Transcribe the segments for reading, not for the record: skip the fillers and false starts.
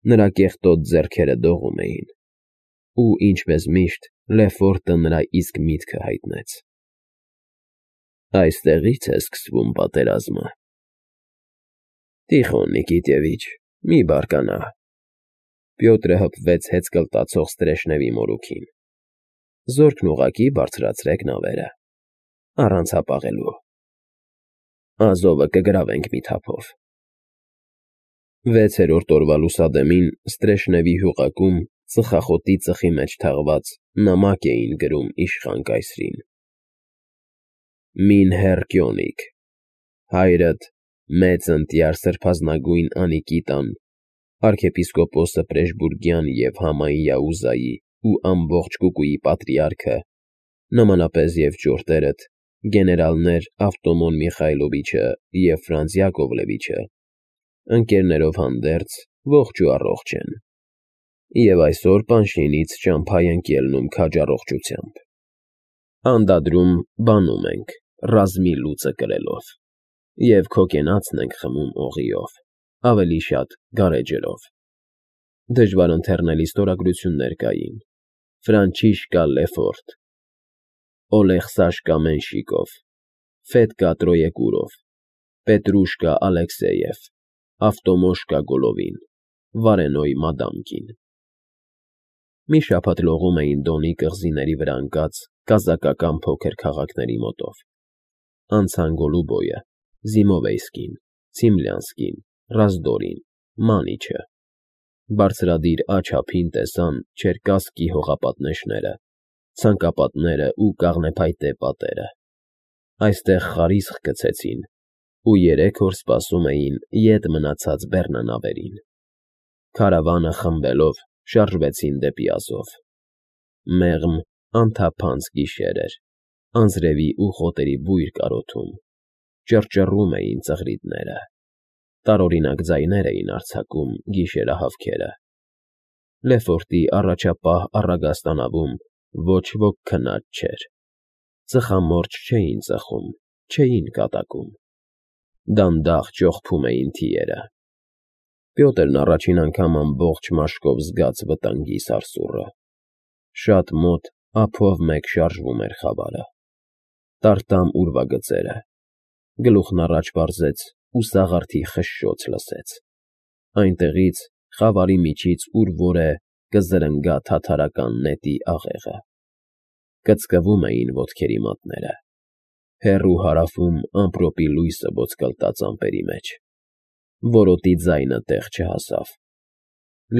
Նրա կեղտոտ ձեռքերը դողում էին, ու, ինչպես միշտ, Լեֆորտը նրա իսկ միտքը հայտնեց. «Այստեղի՞ց է սկսվում պատերազմը»։ «Տիխոն Նիկիտևիչ, մի բարկանա»։ Պյոտրը հպվեց հեծկլտացող Ստրեշնևի մորուքին։ «Զորքն ուղղակի բարձրացրեք նավերը, առանց հապաղելու։ Ազովը կգրավենք մի թափով»։ 6-րդ օրվա լուսադեմին Ստրեշնևի հյուղակում ծխախոտի ծխի մեջ թաղված նամակ էին գրում իշխան կայսրին. «Մին հեռ Կյոնիկ, հայրդ մեծ ընտյար սրբազնագույն Անիկիտան, arczepiskopos Պրեժբուրգյան և Համայի Yahuzայի ու ամբողջ Կուկուի պատրիարքը, նմանապես և ճորտերդ, գեներալներ Ավտոմոն Միխայլովիչը և Ֆրանց Յակովլևիչը, ընկերներով հանդերձ, ողջ ու առողջ են, և այսօր Պանշինից ճամփա ենք ելնում քաջ առողջությամբ։ Անդադրում բանում ենք, ռազմի լուծը կրելով, և քո կենացն ենք խմում օղիով, ավելի շատ գարեջրով։ Դժվար ընթեռնելի ստորագրություններ կային. Ֆրանչիշկա Լեֆորտ, Օլեքսաշկա Մենշիկով, Ֆետկա Տրոյեկուրով, Պետրուշկա Ալեքսեև, Ավտոմոշկա Գոլովին, Վարենոյ Մադամկին։ Մի շաբաթ լողում էին Դոնի կղզիների վրա ընկած կազակական փոքր քաղաքների մոտով. անցան Գոլուբոյը, Զիմովեյսկին, Ցիմլյանսկին, Ռազդորին, Մանիչը։ Բարձրադիր աջ ափին տեսան Չերկասկի հողապատնեշները, ցանկապատները ու կաղնեփայտե պատերը։ Այստեղ խարիսխ գցեցին ու 3 օր սպասում էին ետ մնացած բեռնանավերին։ Քարավանը խմբելով շարժվեցին դեպի Ազով։ Մեղմ, անթափանց գիշեր էր, անձրևի ու խոտերի բույր կարոթում, ճռճռում էին ծղրիդները, տարօրինակ ձայներ էին արձակում գիշերահավքերը։ Լեֆորտի առաջապահ առագաստանավում ոչ ոք քնած չէր, ծխամորճ չէին ծխում, չէին կատակում։ Դանդաղ ճողփում էին թիերը։ Պյոտրն առաջին անգամ ամբողջ մաշկով զգաց վտանգի սարսուռը։ Շատ մոտ ափով մեկ շարժվում էր խավարը։ Տարտամ ուրվագծերը։ Գլուխն առաջ վարզեց ու սաղարթի խշշոց լսեց։ Այնտեղից, խավարի միջից ուր֊որ է, կզրնգա թաթարական նետի աղեղը։ Կծկվում էին ոտքերի մատները։ Հեռու հարավում ամպրոպի լույսը ոսկլտաց ամպերի մեջ։ Որոտի ձայնը տեղ չհասավ։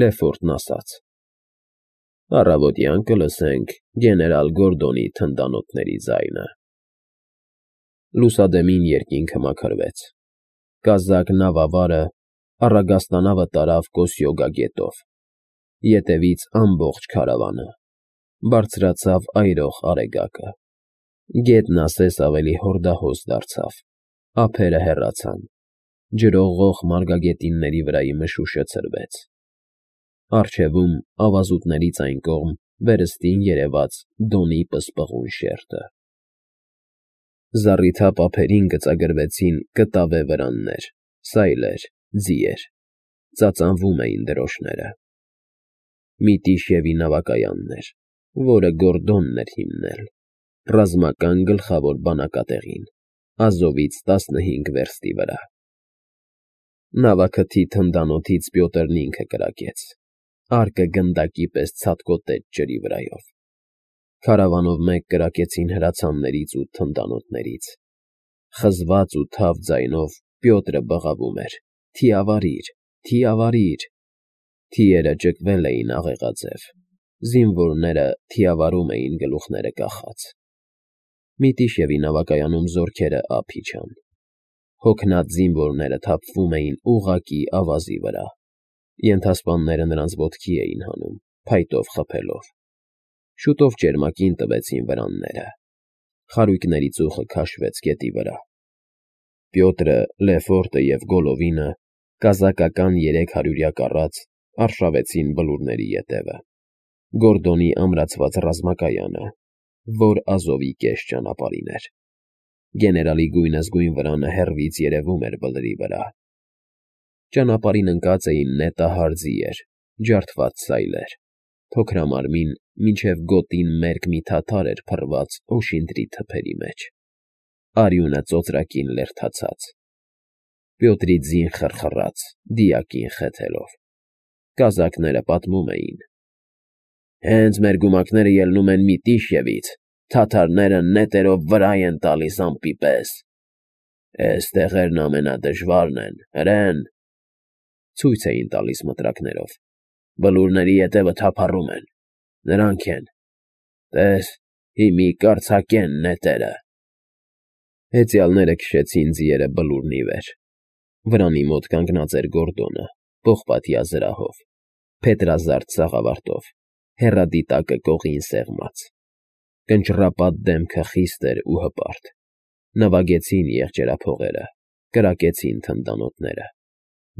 Լեֆորտն ասաց. «Առավոտյան կլսենք գեներալ Գորդոնի թնդանոթների ձայնը»։ Լուսադեմին երկինքը մաքրվեց։ Կազակ նավավարը առագաստանավը տարավ Կոսյոգա գետով։ Ետևից ամբողջ քարավանը։ Բարձրացավ այրող արեգակը։ Գետն ասես ավելի հորդահոս դարձավ։ Ափերը հեռացան։ Ջրողող մարգագետինների վրայի մշուշը ցրվեց։ Առջևում, ավազուտներից այն կողմ, վերստին երևաց Դոնի պսպղուն շերտը։ Զառիթափ ափերին գծագրվեցին կտավե վրաններ, սայլեր, ձիեր։ Ծածանվում էին դրոշները։ Միտիշևի նավակայանն էր, որը Գորդոնն էր հիմնել, ռազմական գլխավոր բանակատեղին, Ազովից 15 վերստի վրա։ Նավաքթի թնդանոթից Պյոտրն ինքը կրակեց։ Արկը գնդակի պես ցատկոտեց ջրի վրայով։ Քարավանով մեկ կրակեցին հրացաններից ու թնդանոթներից։ Խզված ու թավ ձայնով Պյոտրը բղավում էր. «Թիավարի՛ր, թիավարի՛ր»։ Թիերը ճկվել էին աղեղաձև։ Զինվորները թիավարում էին գլուխները կախած։ Միտիշևի նավակայանում զորքերը ափ իջան։ Հոգնած զինվորները թափվում էին ուղղակի ավազի վրա։ Ենթասպանները նրանց ոտքի էին հանում, փայտով խփելով։ Շուտով ճերմակին տվեցին վրանները։ Խարույկների ծուխը քաշվեց գետի վրա։ Պյոտրը, Լեֆորտը և Գոլովինը, կազակական 300-յա կառած, արշավեցին բլուրների ետևը։ Գորդոնի ամրացված ռազմակայանը, որ Ազովի կես ճանապարհին էր։ Գեներալի գույնզգույն վրանը հեռվից երևում էր բլրի վրա։ Ճանապարհին ընկած էին նետահար ձիեր, ջարդված սայլեր, փոքրամարմին մինչև գոտին մերկ մի թաթար էր փռված օշինդրի թփերի մեջ, արյունը ծոծրակին լերդացած, Պյոտրի ձին խրխռաց, դիակին խեթելով, կազակները պատմում էին. Հենց մեր գումակները ելնում են Միտիշևից, թաթարները նետերով վրա են տալիս ամպի պես, էս տեղերն ամենադժվարն են, հրեն, ցույց էին տալիս մտրակներով, բլուրների ետևը թափառում են, նրանք են, տես, հիմի կարծակեն նետերը, հեծյալները քշեցին ձիերը բլուրն ի վեր, վրանի մոտ կանգնած էր Գորդոնը, պողպատյա զրահով, փետրազարդ սաղավարտով, հեռադիտակը կողին սեղմած, կնճռապատ դեմքը խիստ էր ու հպարտ, նվագեցին եղջերափողերը, կրակեցին թնդանոթները,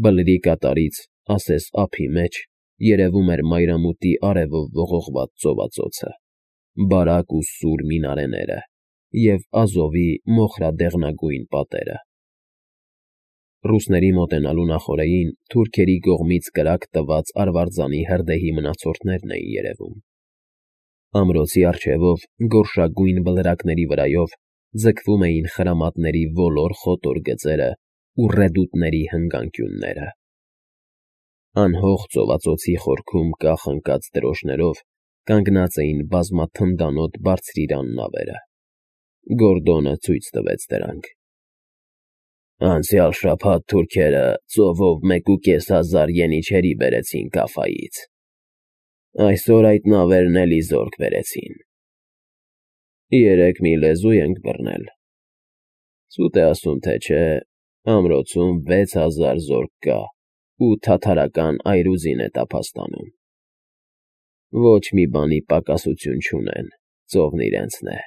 բլրի կատարից, ասես ափի մեջ, երևում էր մայրամուտի արևով ողողված ծովածոցը, բարակ ու սուր մինարեները և Ազովի մոխրադեղնագույն պատերը, Ռուսների մոտենալու նախօրեին թուրքերի կողմից կրակ տված արվարձանի հրդեհի մնացորդներն էին երևում, ամրոցի առջևով գորշագույն բլրակների վրայով ձգվում էին խրամատների ոլոր խոտոր գծերը ու ռեդուտների հնգանկյունները, անհող ծովածոցի խորքում կախ ընկած դրոշներով կանգնած էին բազմաթնդանոթ բարձրիրան նավերը, Գորդոնը ցույց տվեց դրանք, Անցյալ շաբաթ թուրքերը ծովով 1,500 ենիչերի բերեցին Կաֆայից, այսօր այդ նավերն էլի զորք բերեցին, երեկ մի լեզու ենք բռնել, սուտ է ասում թե չէ, ամրոցում 6000 զորք կա ու թաթարական այրուզին է տափաստանում, ոչ մի բանի պակասություն չունեն, ծովն իրենցն է,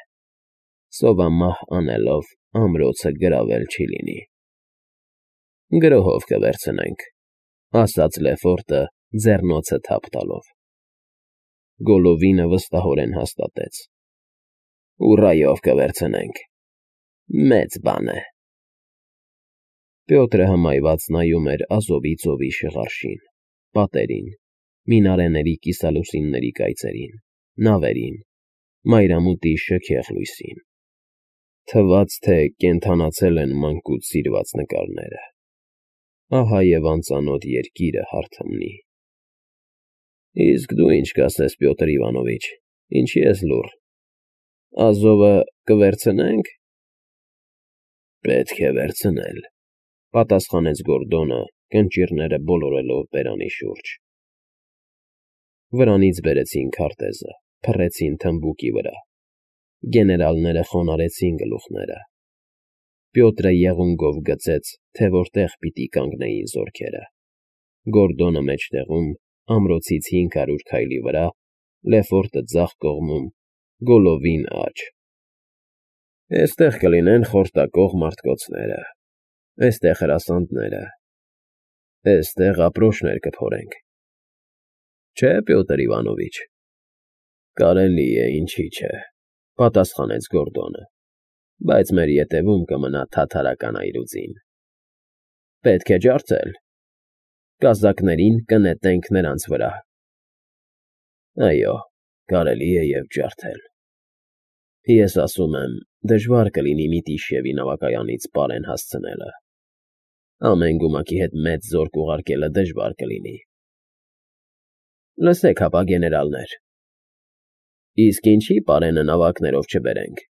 սովամահ անելով ամրոցը գրավել չի լինի, Գրոհով կվերցնենք, ասաց Լեֆորտը ձեռնոցը թափ տալով, Գոլովինը վստահորեն հաստատեց, ուռայով կվերցնենք, մեծ բան է, Պյոտրը հմայված նայում էր Ազովի ծովի շղարշին, պատերին, մինարեների կիսալուսինների կայծերին, նավերին, մայրամուտի շքեղ լույսին, թվաց, թե կենդանացել են մանկուց սիրված նկարները, ահա և անծանոթ երկիրը հարթմնի, իսկ դու ինչ կասես, Պյոտր Իվանովիչ, ինչի ես լուռ, Ազովը կվերցնե՞նք, պետք է վերցնել, պատասխանեց Գորդոնը, կնճիռները բոլորելով բերանի շուրջ, վրանից բերեցին քարտեզը, փռեցին թմբուկի վրա, գեներալները խոնարհեցին գլուխները, Պյոտրը եղունգով գծեց, թե որտեղ պիտի կանգնեին զորքերը, Գորդոնը մեջտեղում, ամրոցից 500 քայլի վրա, Լեֆորտը ձախ կողմում, Գոլովին աջ, էստեղ կլինեն խորտակող մարդկոցները, էստեղ հրասանները, էստեղ ապրոշներ կփորենք, չէ, Պյոտր Իվանովիչ, կարելի է, ինչի չէ, պատասխանեց Գորդոնը, բայց մեր ետևում կմնա թաթարական այրուձին, պետք է ջարդել, կազակներին կնետենք նրանց վրա, այո, կարելի է և ջարդել, ես ասում եմ, դժվար կլինի Միտիշևի նավակայանից պարեն հասցնելը, ամեն գումակի հետ մեծ զորք ուղարկելը դժվար կլինի, լսեք հապա, գեներալներ, իսկ ինչի պարենը նավակներով չբերենք,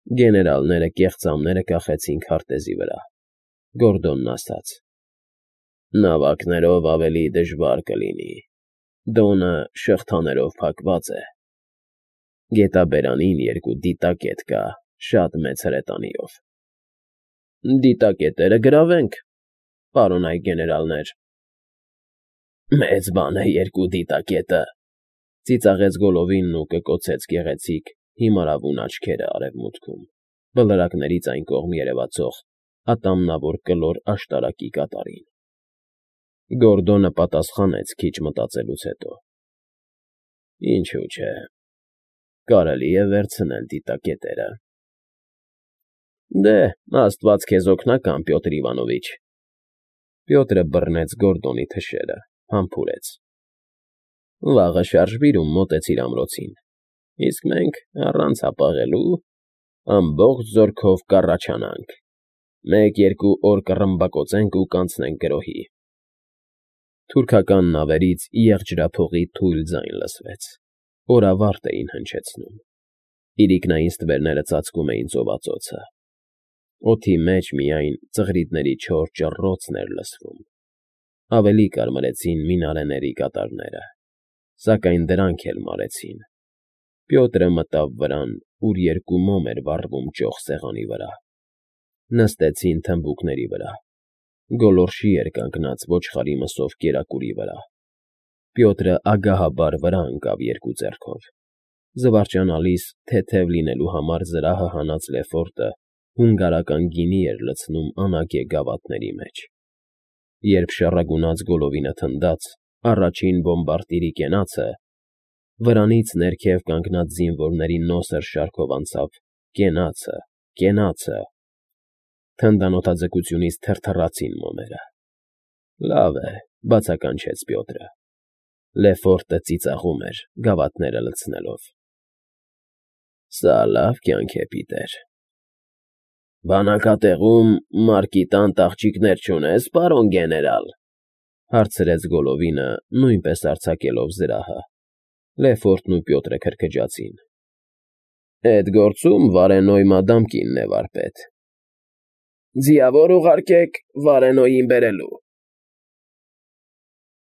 Գեներալները կեղծամները կախեցին քարտեզի վրա, Գորդոնն ասաց, նավակներով ավելի դժվար կլինի, դոնը շղթաներով փակված է, գետաբերանին 2 դիտակետ կա, շատ մեծ հրետանիով, դիտակետերը գրավենք, պարոնայք գեներալներ, մեծ բան է 2 դիտակետը, ծիծաղեց Գոլովինն ու կկոցեց գեղեցիկ, հիմարավուն աչքերը արևմուտքում, բլրակներից այն կողմ երևացող, ատամնավոր կլոր աշտարակի կատարին, Գորդոնը պատասխանեց քիչ մտածելուց հետո, ինչու չէ, կարելի է վերցնել դիտակետերը, դե, աստված քեզ օգնական, Պյոտր Իվանովիչ, Պյոտրը բռնեց Գորդոնի թշերը, Համբուրեց։ Վաղը շարժվիր ու մոտեցիր ամրոցին, իսկ մենք առանց հապաղելու ամբողջ զորքով կառաջանանք, 1-2 օր կռմբակոծենք ու կանցնենք գրոհի։ Թուրքական նավերից եղջրափողի թույլ ձայն լսվեց, օրավարտ էին հնչեցնում, իրիկնային ստվերները ծածկում էին ծովածոցը, օդի մեջ միայն ծղրիդների չոր ճռռոցն էր լսվում, ավելի կարմրեցին մինարեների կատարները, սակայն դրանք էլ մարեցին։ Պյոտրը մտավ վրան, ուր 2 մոմ էր վառվում ճոխ սեղանի վրա, նստեցին թմբուկների վրա, գոլորշի էր կանգնած ոչխարի մսով կերակուրի վրա, Պյոտրը ագահաբար վրա ընկավ 2 ձեռքով, զվարճանալիս թեթև լինելու համար զրահը հանած Լեֆորտը հունգարական գինի էր լցնում անագե գավաթների մեջ։ Երբ շառագունած գոլովինը թնդաց, առաջին բոմբարդիրի կենացը, վրանից ներքև կանգնած զինվորների նոսր շարքով անցավ կենացը, կենացը, թնդանոթաձգությունից թրթռացին մոմերը։ Լավ է, բացականչեց Պյոտրը։ Լեֆորտը ծիծաղում էր, գավաթները լցնելով։ Սա լավ կյանք է, Պիտեր։ Բանակատեղում Մարկի տան տաղճիկներ չունես, պարոն գեներալ, հարցրեց Գոլովինը, նույնպես արձակելով զրահը։ Լեֆորտն ու Պյոտրը քրքջացին։ Էդ գործում Վարենոյ մադամ կինն է վարպետ։ Ձիավոր ուղարկեք Վարենոյին բերելու։